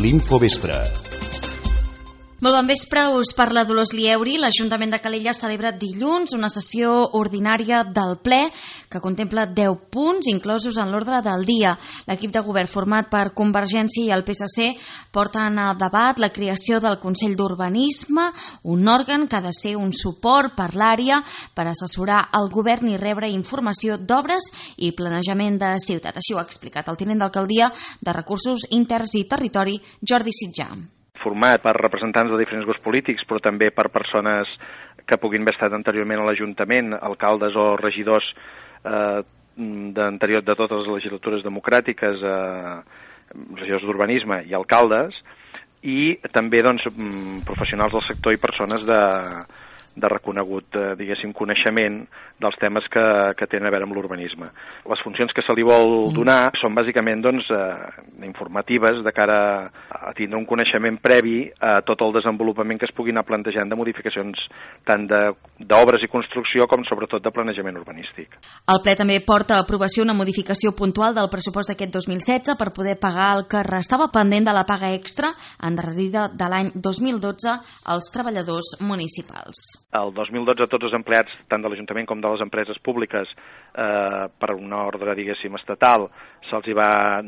L'Infovespre. Molt bon vespre, us parla Dolors Lieuri. L'Ajuntament de Calella celebra dilluns una sessió ordinària del ple que contempla 10 punts inclosos en l'ordre del dia. L'equip de govern format per Convergència i el PSC porten a debat la creació del Consell d'Urbanisme, un òrgan que ha de ser un suport per l'àrea per assessorar el govern i rebre informació d'obres i planejament de ciutat. Així ho ha explicat el tinent d'alcaldia de Recursos Interns i Territori, Jordi Sitjà. Format per representants de diferents grups polítics, però també per persones que puguin haver estat anteriorment a l'Ajuntament, alcaldes o regidors de totes les legislatures democràtiques, regidors d'urbanisme i alcaldes, i també professionals del sector i persones de reconegut, coneixement dels temes que tenen a veure amb l'urbanisme. Les funcions que se li vol donar són bàsicament informatives de cara a tindre un coneixement previ a tot el desenvolupament que es puguin anar plantejant de modificacions tant d'obres i construcció com sobretot de planejament urbanístic. El ple també porta a aprovació una modificació puntual del pressupost d'aquest 2016 per poder pagar el que restava pendent de la paga extra endarrerida de l'any 2012 als treballadors municipals. El 2012 tots els empleats, tant de l'Ajuntament com de les empreses públiques, per una ordre, estatal,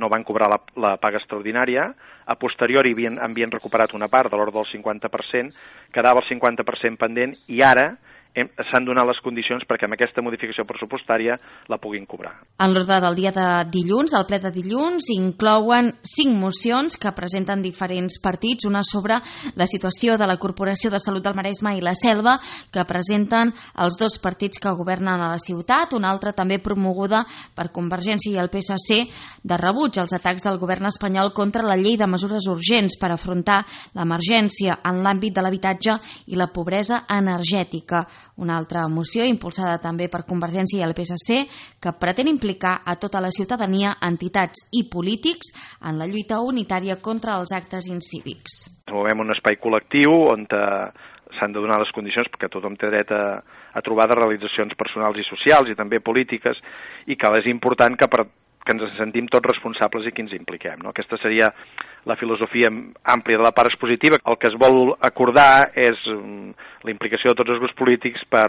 no van cobrar la paga extraordinària. A posteriori havien recuperat una part de l'ordre del 50%, quedava el 50% pendent i ara s'han donat les condicions perquè amb aquesta modificació pressupostària la puguin cobrar. En l'ordre del dia de dilluns, el ple de dilluns, inclouen 5 mocions que presenten diferents partits, una sobre la situació de la Corporació de Salut del Maresme i la Selva, que presenten els 2 partits que governen a la ciutat, una altra també promoguda per Convergència i el PSC de rebuig als atacs del govern espanyol contra la llei de mesures urgents per afrontar l'emergència en l'àmbit de l'habitatge i la pobresa energètica. Una altra moció impulsada també per Convergència i el PSC que pretén implicar a tota la ciutadania, entitats i polítics en la lluita unitària contra els actes incívics. Movem un espai col·lectiu on s'han de donar les condicions perquè tothom té dret a trobar de realitzacions personals i socials i també polítiques i que és important que ens sentim tots responsables i que ens impliquem. Aquesta seria la filosofia àmplia de la part expositiva. El que es vol acordar és la implicació de tots els grups polítics per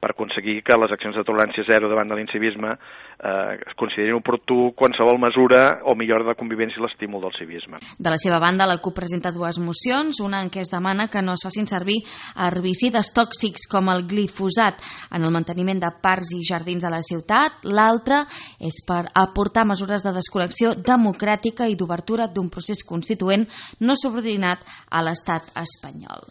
aconseguir que les accions de tolerància zero davant de l'incivisme es considerin oportú qualsevol mesura o millora de la convivència i l'estímul del civisme. De la seva banda, la CUP presenta 2 mocions, una en què es demana que no es facin servir herbicides tòxics com el glifosat en el manteniment de parcs i jardins de la ciutat, l'altra és per aportar mesures de desconnexió democràtica i d'obertura d'un procés constituent no subordinat a l'estat espanyol.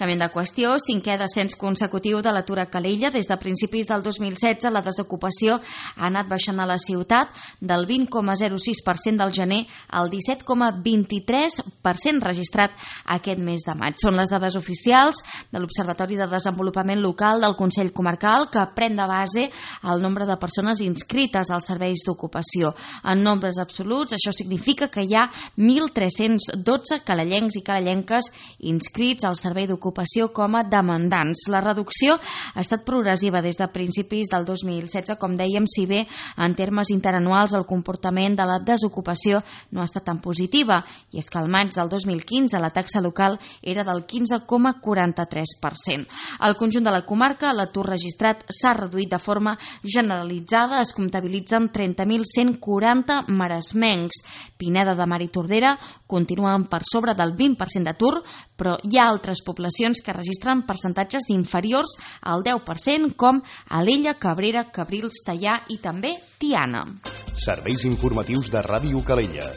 Canviant de qüestió, 5è descens consecutiu de l'atur a Calella. Des de principis del 2016 la desocupació ha anat baixant a la ciutat del 20,06% del gener al 17,23% registrat aquest mes de maig. Són les dades oficials de l'Observatori de Desenvolupament Local del Consell Comarcal que pren de base el nombre de persones inscrites als serveis d'ocupació. En nombres absoluts, això significa que hi ha 1.312 calellencs i calellenques inscrits al servei d'ocupació com a demandants. La reducció ha estat progressiva des de principis del 2016, com dèiem, si bé en termes interanuals el comportament de la desocupació no ha estat tan positiva, i és que al maig del 2015 la taxa local era del 15,43%. Al conjunt de la comarca l'atur registrat s'ha reduït de forma generalitzada, es comptabilitzen 30.140 maresmencs. Pineda de Mar i Tordera continuen per sobre del 20% d'atur, però hi ha altres poblacions que registren percentatges inferiors al 10%, com Alella, Cabrera, Cabrils, Teià i també Tiana. Serveis informatius de Ràdio Calella.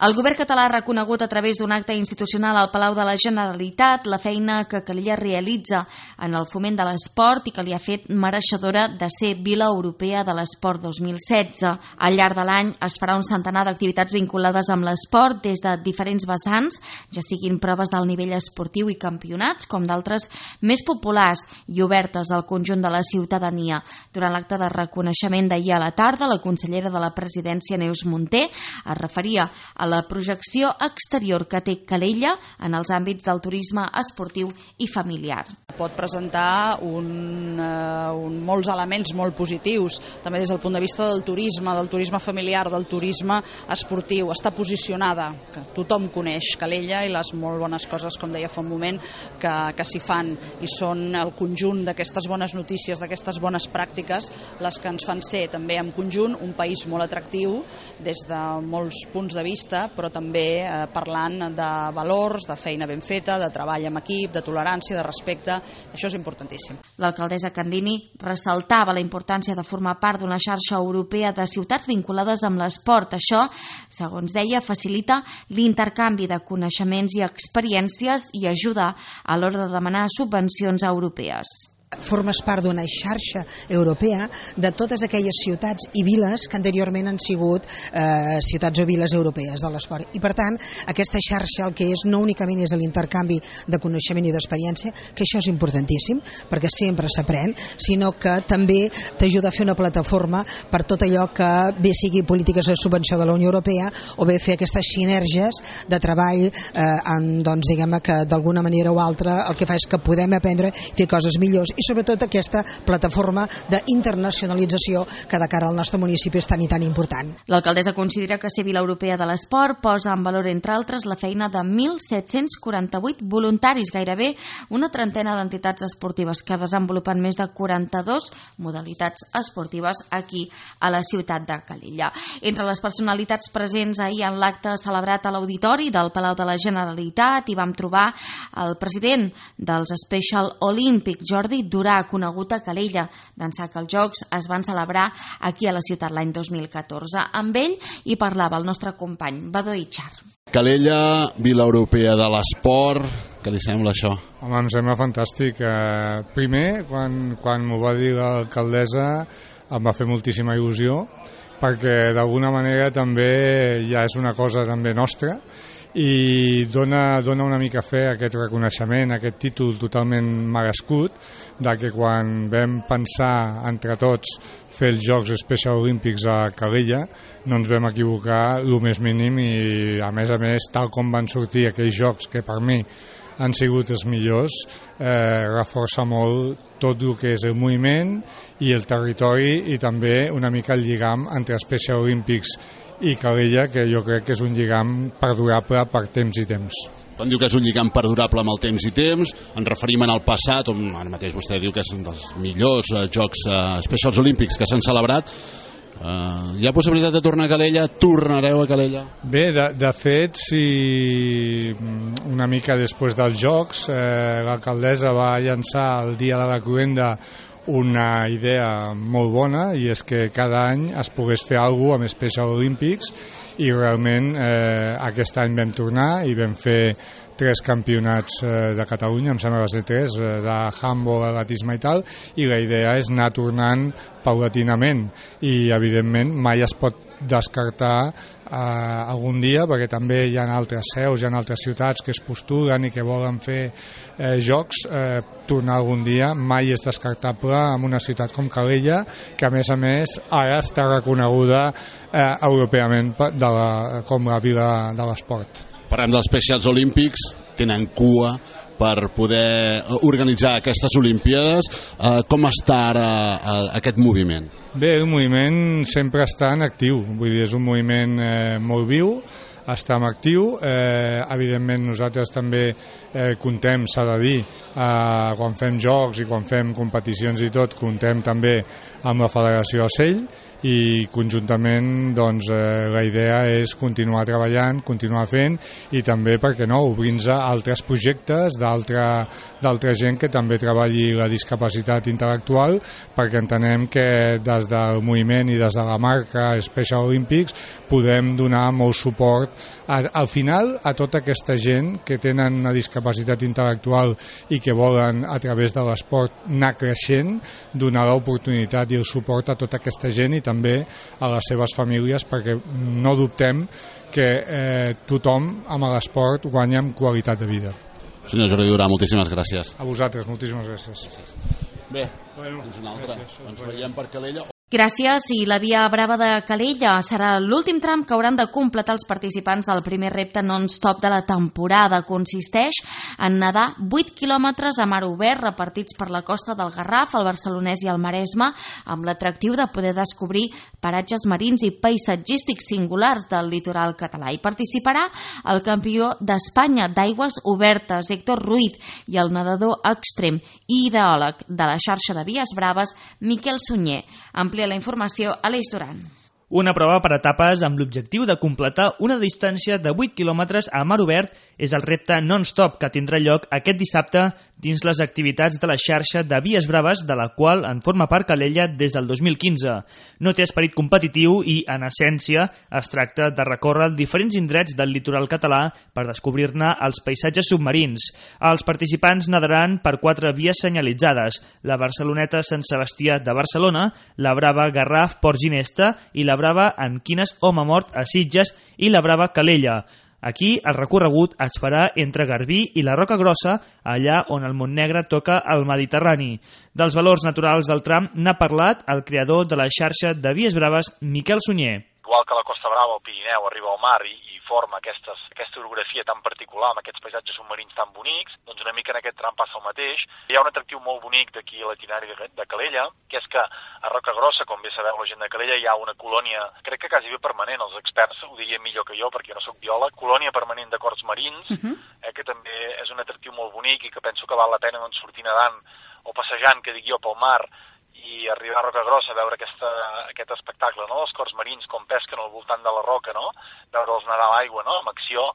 El govern català ha reconegut a través d'un acte institucional al Palau de la Generalitat la feina que Calella realitza en el foment de l'esport i que li ha fet mereixedora de ser Vila Europea de l'Esport 2016. Al llarg de l'any es farà un centenar d'activitats vinculades amb l'esport des de diferents vessants, ja siguin proves del nivell esportiu i campionats, com d'altres més populars i obertes al conjunt de la ciutadania. Durant l'acte de reconeixement d'ahir a la tarda, la consellera de la Presidència, Neus Munté, es referia a la projecció exterior que té Calella en els àmbits del turisme esportiu i familiar. Pot presentar molts elements molt positius, també des del punt de vista del turisme familiar, del turisme esportiu. Està posicionada, que tothom coneix Calella i les molt bones coses, com deia fa un moment, que s'hi fan, i són el conjunt d'aquestes bones notícies, d'aquestes bones pràctiques, les que ens fan ser també en conjunt un país molt atractiu des de molts punts de vista, però també parlant de valors, de feina ben feta, de treball en equip, de tolerància, de respecte. Això és importantíssim. L'alcaldessa Candini ressaltava la importància de formar part d'una xarxa europea de ciutats vinculades amb l'esport. Això, segons deia, facilita l'intercanvi de coneixements i experiències i ajuda a l'hora de demanar subvencions europees. Formes part d'una xarxa europea de totes aquelles ciutats i viles que anteriorment han sigut ciutats o viles europees de l'esport. I per tant, aquesta xarxa el que és no únicament és l'intercanvi de coneixement i d'experiència, que això és importantíssim, perquè sempre s'aprèn, sinó que també t'ajuda a fer una plataforma per tot allò que bé sigui polítiques de subvenció de la Unió Europea o bé fer aquestes sinergies de treball diguem que d'alguna manera o altra el que fa és que podem aprendre i fer coses millors, i sobretot aquesta plataforma d'internacionalització que de cara al nostre municipi és tan i tan important. L'alcaldessa considera que ser Vila Europea de l'Esport posa en valor, entre altres, la feina de 1.748 voluntaris, gairebé una trentena d'entitats esportives que desenvolupen més de 42 modalitats esportives aquí a la ciutat de Calella. Entre les personalitats presents ahir en l'acte celebrat a l'Auditori del Palau de la Generalitat hi vam trobar el president dels Special Olympics, Jordi Durà, conegut a Calella, d'ençà que els Jocs es van celebrar aquí a la ciutat l'any 2014. Amb ell hi parlava el nostre company, Badó Itxar. Calella, Vila Europea de l'Esport, què li sembla això? Home, em sembla fantàstic. Primer, quan m'ho va dir l'alcaldessa, em va fer moltíssima il·lusió, perquè d'alguna manera també ja és una cosa també nostra, i dona una mica fe a aquest reconeixement, a aquest títol totalment merescut, de que quan vam pensar entre tots fer els Jocs Special Olympics a Calella no ens vam equivocar el més mínim, i a més, tal com van sortir aquells Jocs, que per mi han sigut els millors, reforça molt tot el que és el moviment i el territori, i també una mica el lligam entre Special Olympics i Calella, que jo crec que és un lligam perdurable per temps i temps. Quan diu que és un lligam perdurable amb el temps i temps, ens referim en el passat, on ara mateix vostè diu que és un dels millors Jocs Specials Olímpics que s'han celebrat. Hi ha possibilitat de tornar a Calella? Tornareu a Calella? Bé, de fet, si una mica després dels Jocs l'alcaldessa va llançar el dia de la cloenda una idea molt bona, i és que cada any es pogués fer alguna cosa amb Special Olympics, i realment aquest any vam tornar i vam fer 3 campionats de Catalunya, em sembla que va ser 3, de handball, atletisme i tal, i la idea és anar tornant paulatinament, i evidentment mai es pot descartar algun dia, perquè també hi ha altres seus, hi ha altres ciutats que es postulen i que volen fer jocs, tornar algun dia mai és descartable en una ciutat com Calella, que a més ara està reconeguda europeament com la vila de l'esport. Parlem dels Specials Olímpics, tenen cua per poder organitzar aquestes Olimpíades. Com està ara aquest moviment? Bé, el moviment sempre està en actiu, vull dir, és un moviment molt viu, està en actiu, evidentment nosaltres també comptem, s'ha de dir, quan fem jocs i quan fem competicions i tot, comptem també amb la Federació Ocell, i conjuntament doncs, la idea és continuar treballant, continuar fent, i també, per què no, obrir-nos a altres projectes d'altra gent que també treballi la discapacitat intel·lectual, perquè entenem que des del moviment i des de la marca Special Olympics podem donar molt suport al final a tota aquesta gent que tenen una discapacitat intel·lectual i que volen a través de l'esport anar creixent, donar l'oportunitat i el suport a tota aquesta gent i també a les seves famílies, perquè no dubtem que tothom amb l'esport guanya en qualitat de vida. Senyor Jordi Durà, moltíssimes gràcies. A vosaltres, moltíssimes gràcies. Bé, fins una altra. Ens veiem per Calella. Gràcies. I la Via Brava de Calella serà l'últim tram que hauran de completar els participants del primer repte non-stop de la temporada. Consisteix en nedar 8 quilòmetres a mar obert repartits per la costa del Garraf, el Barcelonès i el Maresme, amb l'atractiu de poder descobrir paratges marins i paisatgístics singulars del litoral català. Hi participarà el campió d'Espanya d'aigües obertes, Héctor Ruiz, i el nedador extrem i ideòleg de la xarxa de Vies Braves, Miquel Sunyer. Amplia la informació a l'Eix Duran. Una prova per etapes amb l'objectiu de completar una distància de 8 quilòmetres a mar obert és el repte non-stop que tindrà lloc aquest dissabte dins les activitats de la xarxa de Vies Braves, de la qual en forma part Calella des del 2015. No té esperit competitiu i, en essència, es tracta de recórrer diferents indrets del litoral català per descobrir-ne els paisatges submarins. Els participants nadaran per 4 vies senyalitzades: la Barceloneta Sant Sebastià de Barcelona, la Brava Garraf Port Ginesta i la Brava en Quines Home Mort a Sitges i la Brava Calella. Aquí el recorregut es farà entre Garbí i la Roca Grossa, allà on el Montnegre toca el Mediterrani. Dels valors naturals del tram n'ha parlat el creador de la xarxa de Vies Braves, Miquel Sunyer. Igual que la Costa Brava, el Pirineu, arriba al mar i forma aquesta orografia tan particular amb aquests paisatges submarins tan bonics, doncs una mica en aquest tram passa el mateix. Hi ha un atractiu molt bonic d'aquí a l'itinerari de Calella, que és que a Roca Grossa, com bé sabeu la gent de Calella, hi ha una colònia, crec que quasi bé permanent, els experts ho dirien millor que jo perquè jo no soc biòleg, colònia permanent de corts marins, que també és un atractiu molt bonic i que penso que val la pena sortir nedant o passejant, que dic jo, pel mar, i arribar a Roca Grossa a veure aquest espectacle, no?, dels corts marins com pesquen al voltant de la roca, no?, veure'ls nedar a l'aigua, no?, amb acció,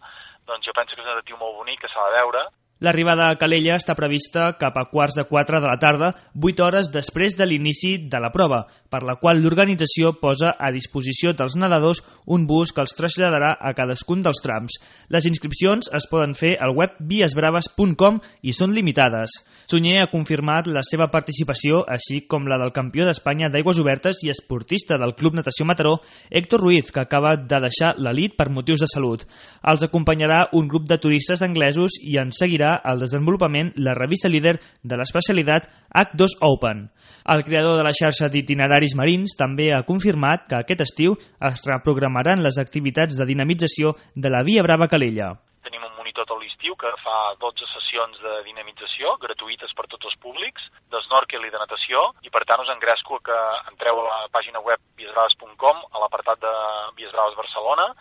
doncs jo penso que és un atractiu molt bonic que s'ha de veure. L'arribada a Calella està prevista cap a 3:15 de la tarda, 8 hores després de l'inici de la prova, per la qual l'organització posa a disposició dels nedadors un bus que els traslladarà a cadascun dels trams. Les inscripcions es poden fer al web viesbraves.com i són limitades. Sunyer ha confirmat la seva participació, així com la del campió d'Espanya d'aigües obertes i esportista del Club Natació Mataró, Héctor Ruiz, que acaba de deixar l'elit per motius de salut. Els acompanyarà un grup de turistes anglesos i en seguirà al desenvolupament la revista líder de l'especialitat H2 Open. El creador de la xarxa d'itineraris marins també ha confirmat que aquest estiu es reprogramaran les activitats de dinamització de la Via Brava Calella. Tenim un monitor tot l'estiu que fa 12 sessions de dinamització gratuïtes per tots els públics, d'snorkel i de natació, i per tant us engresco que entreu a la pàgina web viesbraves.com, a l'apartat de Vies Braves Barcelona,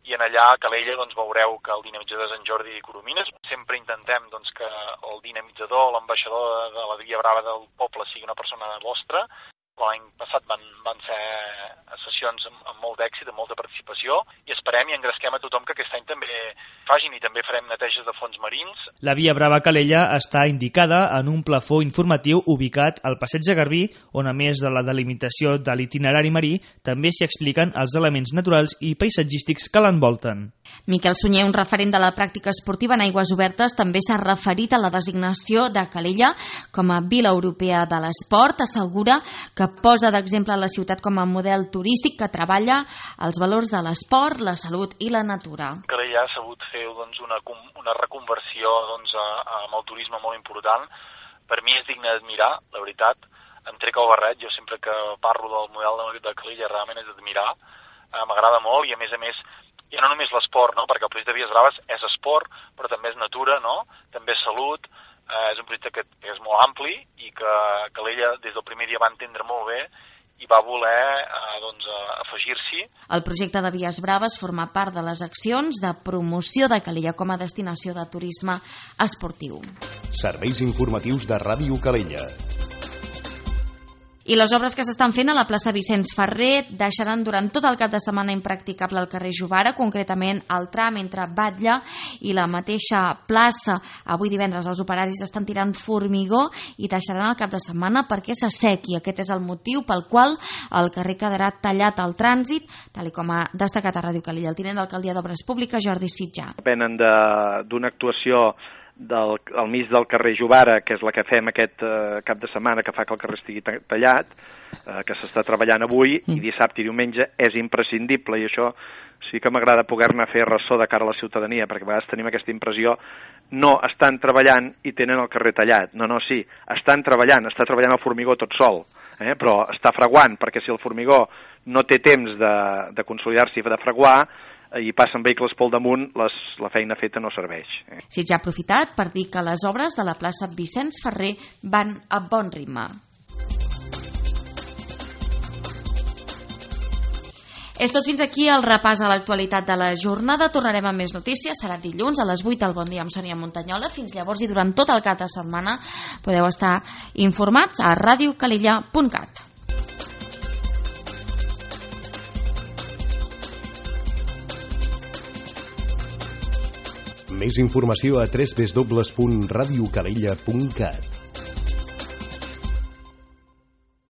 i en allà a Calella doncs, veureu que el dinamitzador és en Jordi Coromines. Sempre intentem doncs, que el dinamitzador, l'ambaixador de la Via Brava del poble sigui una persona vostra. L'any passat van ser sessions amb molt d'èxit, amb molta participació, i esperem i engresquem a tothom que aquest any també facin, i també farem neteges de fons marins. La Via Brava Calella està indicada en un plafó informatiu ubicat al Passeig de Garbí, on a més de la delimitació de l'itinerari marí, també s'hi expliquen els elements naturals i paisatgístics que l'envolten. Miquel Sunyer, un referent de la pràctica esportiva en aigües obertes, també s'ha referit a la designació de Calella com a Vila Europea de l'Esport. Assegura que posa d'exemple la ciutat com a model turístic que treballa els valors de l'esport, la salut i la natura. Calella ha sabut fer doncs, una reconversió doncs, amb el turisme molt important. Per mi és digne d'admirar, la veritat. Em trec el barret, jo sempre que parlo del model de Calella realment és d'admirar. M'agrada molt i a més, ja no només l'esport, no? Perquè el projecte de Vies Braves és esport, però també és natura, no? També és salut. És un projecte que és molt ampli i que Calella des del primer dia va entendre molt bé i va voler afegir-s'hi. El projecte de Vies Braves forma part de les accions de promoció de Calella com a destinació de turisme esportiu. Serveis informatius de Ràdio Calella. I les obres que s'estan fent a la plaça Vicenç Ferrer deixaran durant tot el cap de setmana impracticable el carrer Jovara, concretament el tram entre Batlle i la mateixa plaça. Avui divendres els operaris estan tirant formigó i deixaran el cap de setmana perquè s'assequi. Aquest és el motiu pel qual el carrer quedarà tallat al trànsit, tal com ha destacat a Ràdio Calella el tinent d'alcaldia d'Obres Públiques, Jordi Sitjà. Depenen d'una actuació al mig del carrer Jovara, que és la que fem aquest cap de setmana, que fa que el carrer estigui tallat, que s'està treballant avui, i dissabte i diumenge és imprescindible, i això sí que m'agrada poder-ne fer ressò de cara a la ciutadania, perquè a vegades tenim aquesta impressió, no, estan treballant i tenen el carrer tallat. No, sí, estan treballant, està treballant el formigó tot sol. però està fraguant, perquè si el formigó no té temps de consolidar-se i de fraguar, i passen vehicles pel damunt, la feina feta no serveix. Sitges ja ha aprofitat per dir que les obres de la plaça Vicenç Ferrer van a bon ritme. És tot fins aquí el repàs a l'actualitat de la jornada. Tornarem amb més notícies. Serà dilluns a les 8 al Bon Dia amb Sònia Montanyola. Fins llavors i durant tot el cap de setmana podeu estar informats a radiocalilla.cat. Més informació a www.radiocalella.cat.